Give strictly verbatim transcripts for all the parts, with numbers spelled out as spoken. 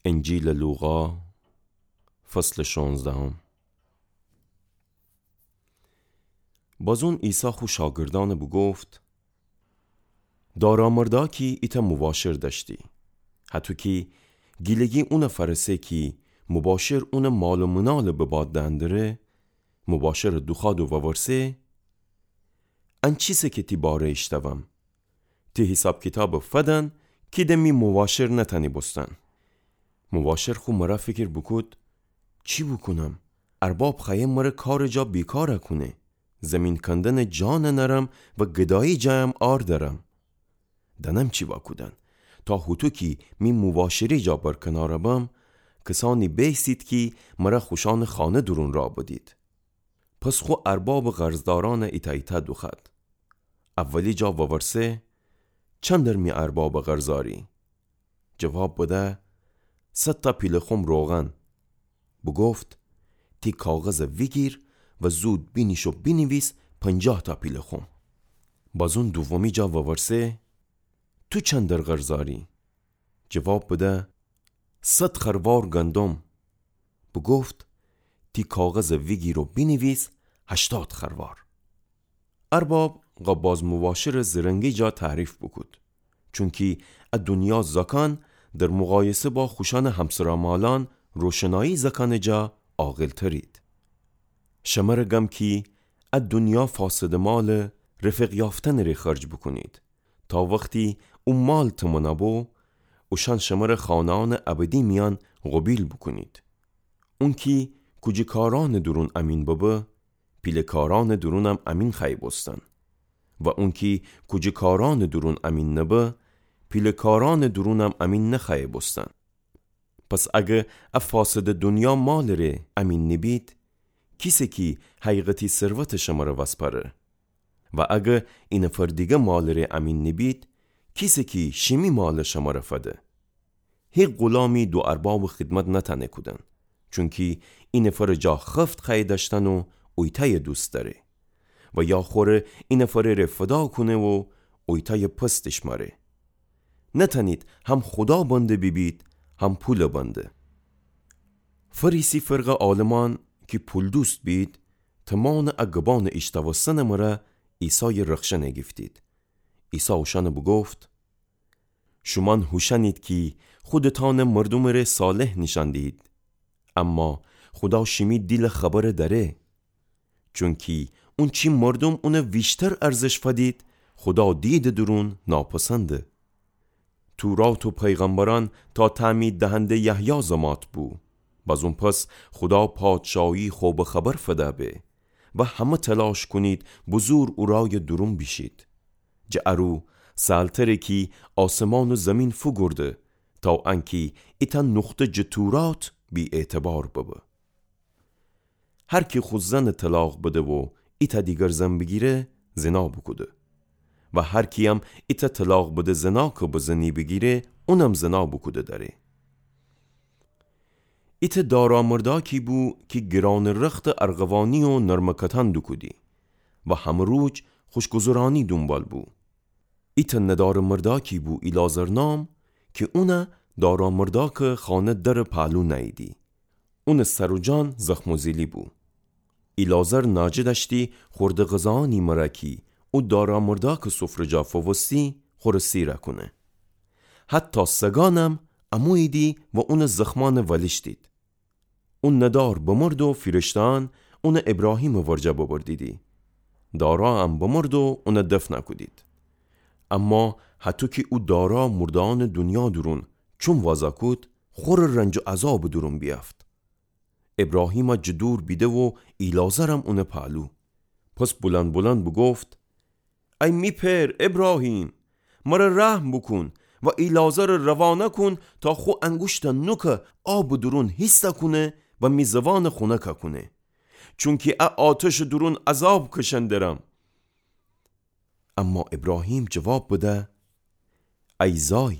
انجیلٚ لوقا، فصلٚ شونزدهم. بازون عیسی خو شاگردأنَ بوگفت: دارا مرداکی ایتأ موباشر دأشتی. هطو کی گیلگی اونَ فأرسه کی موباشر اونٚ مال و منالَ به باد دئندره، موباشرَ دوخوأد و وورسه: ان چیسه کی تی باره ایشتوم؟ تی حیساب کیتابَ فدن کی د می موباشر نتأنی بوستن. موباشر خو مره فیکر بوکود: چی بوکونم؟ ارباب خوأیه مره کارٚ جا بیکار کونه. زیمین کندنٚ جا ننأرم و گدایی جایم عار دأرم. دأنم چی وأکودن، تا هوطو کی می موباشری جا برکنار بم، کسأنی بیسید کی مره خوشأنٚ خانه دورون راه بدید. پس خو اربابٚ قرضدارأنَ ایتأ ایتأ دوخوأد. اولی جا وورسه: چندر می اربابَ قرضاری؟ جواب بده: صد تا پیله خم روغن. بوگفت: تی کاغذَ ویگیر و زود بینیش و بینیویس پنجاه تا پیله خم. بازون دومی جا وورسه: تو چندر قرضاری؟ جواب بده: صد خروار گندم. بوگفت: تی کاغذَ ویگیر و بینیویس هشتاد خروار. ارباب قاباز موباشرٚ زرنگی جا تعریف بوکود، چونکی ا دونیا زاکأن در مقایسه با خوشأنٚ همسرا مالأن روشنایی زاکأنٚ جا عاقلترید. شمره گم کی ا دونیا فاسدٚ مالَ رفیق یافتنٚ ره خرج بوکونید، تا وختی او مال تمنا بو، اوشأن شمره خانه‌أنٚ ابدی میأن قوبیل بوکونید. اونکی کوجه کارأنٚ دورون امین ببه، پیله کارأنٚ دورونم امین خوأیه بوستن. و اونکی کوجه کارأنٚ دورون امین نبه، پیله کارأنٚ دورونم امین نخوأیه بوستن. پس اگه ا فاسدٚ دونیا مالٚ ره امین نیبید، کیسه کی حقیقتی ثروتَ شمره وسپاره؟ و اگه اینفر دیگه مالٚ ره امین نیبید، کیسه کی شیمی مالَ شمره فده؟ هیک غولامی دو اربابٚ خدمت نتأنه کودن، چونکی اینفرٚ جا خفت خوأیه دأشتن و اویتأیَ دوست دأره، و یا خوره اینفرٚ ره فدا کونه و اویتأیَ پستش مأره. نتأنید هم خودا بنده بیبید، هم پولٚ بنده. فریسی فرقه عالمأن کی پول‌دوست بید، تمانٚ ا گبانٚ ایشتاوستنٚ مره عیسایَ رخشن گیفتید. عیسی اوشأنَ بوگفت: شومأن هوشأنید کی خودتأنَ مردومٚ ره صالح نیشأن دیهید، اما خودا شیمی دیلٚ خبرَ دأره. چونکی اونچی مردوم اونَ ویشتر ارزش فدید، خودا دیدٚ دورون ناپسنده. تورات و پیغمبرأن تا تعمید دهنده یحیی زمات بو. بازون پس خودا پادشاهی خو به خبر فده به و همه تلاش کونید بزور او رایٚ دورون بیشید. جٚه ارو سهلتره کی آسمان و زیمین فوگورده، تا انکی ایتأ نقطه جٚه تورات بی‌اعتبار ببه. هر کی خو زنَ طلاق بده و ایتأ دیگر زن بیگیره، زنا بوکوده. و هر کییم ایتأ طلاق بده زنا کی به زنی بیگیره، اونم زنا بوکوده دأره. ایتأ دارا مرداکی بو کی گرانٚ رختٚ ارغوانی و نرمکتأن دوکودی و همه روج خوشگذرأنی دونبال بو. ایتأ ندارٚ مرداکی بو ایلعازر نام، کی اونَ دارا مرداکٚ خانه درٚ پهلو نأییدی. اونٚ سر و جان زخم و زیلی بو. ایلعازر ناجه دأشتی خورده غذاأنی مره کی او دارا مرداکٚ سفره جا فووستی خوره سیره کونه. حتی سگأنم اموییدی و اونٚ زخمأنَ ولیشتید. او ندار بمرد و فیرشتهأن اونَ ابراهیمٚ ورجه ببردیدی. دارایم بمرد و اونَ دفن کودید. اما هطو کی او دارا مردهأنٚ دونیا دورون چوم وازا کود، خوره رنج و عذابٚ دورون بیأفت. ابراهیمَ جٚه دور بیده و ایلعازرم اونٚ پهلو. پس بلند بلند بوگفت: ای می پئر ابراهیم، مره رحم بوکون و ایلعازرَ روانه کون تا خو انگوشتٚ نوکَ آبٚ دورون هیسته کونه و می زوأنَ خونکَ کونه، چونکی ا آتشٚ دورون عذاب کشن درم. اما ابراهیم جواب بده: ای زای،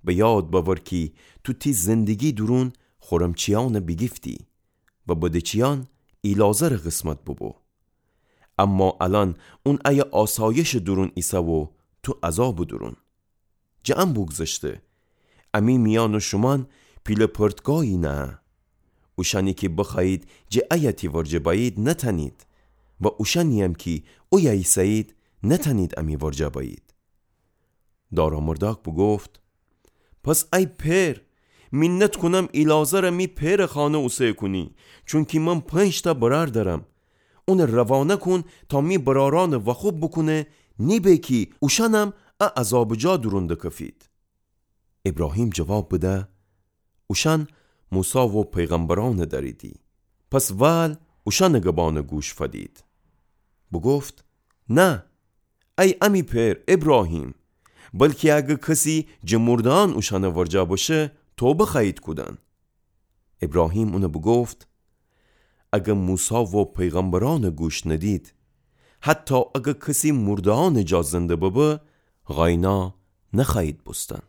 به یاد بأور کی تو تی زندگی دورون خورمچیأنَ بیگیفتی و بدهچیأن ایلعازرٚ قسمت ببو. اما الأن اون ایه آسایشٚ دورون ایسه و تو عذابٚ دورون. جٚه ان بوگذشته، امی میأن شومأن پیله پرتگایی نهه. اوشأنی کی بخوأیید جٚه ایه تی ورجه بأیید، نتأنید، و اوشأنی‌یم کی اویه ایسه‌یید، نتأنید امی ورجه بأیید. دارامردأک بوگفت: پس ای پئر، مینت کونم ایلعازرَ می پئرٚ خانه اوسه کونی، چونکی من پنج‌تأ برأر دأرم. اونَ روانه کون تا می برأرأنَ وأخوب بوکونه، نیبه کی اوشأنم ا عذابٚ جا دورون دکفید. ابراهیم جواب بده: اوشأن موسی و پیغمبرأنَ دأریدی. پس وأل اوشأنٚ گبأنَ گوش فدید. بوگفت: نه، ای امی پئر ابراهیم، بلکی اگر کسی جٚه مرده‌یأن اوشأنٚ ورجه بشه، توبه خوأیید کودن. ابراهیم اونَ بوگفت: اگر موسی و پیغمبرأنَ گوش ندید، حتی اگر کسی مرده‌یأنٚ جا زنده ببه، غاینا نخوأیید بوستن.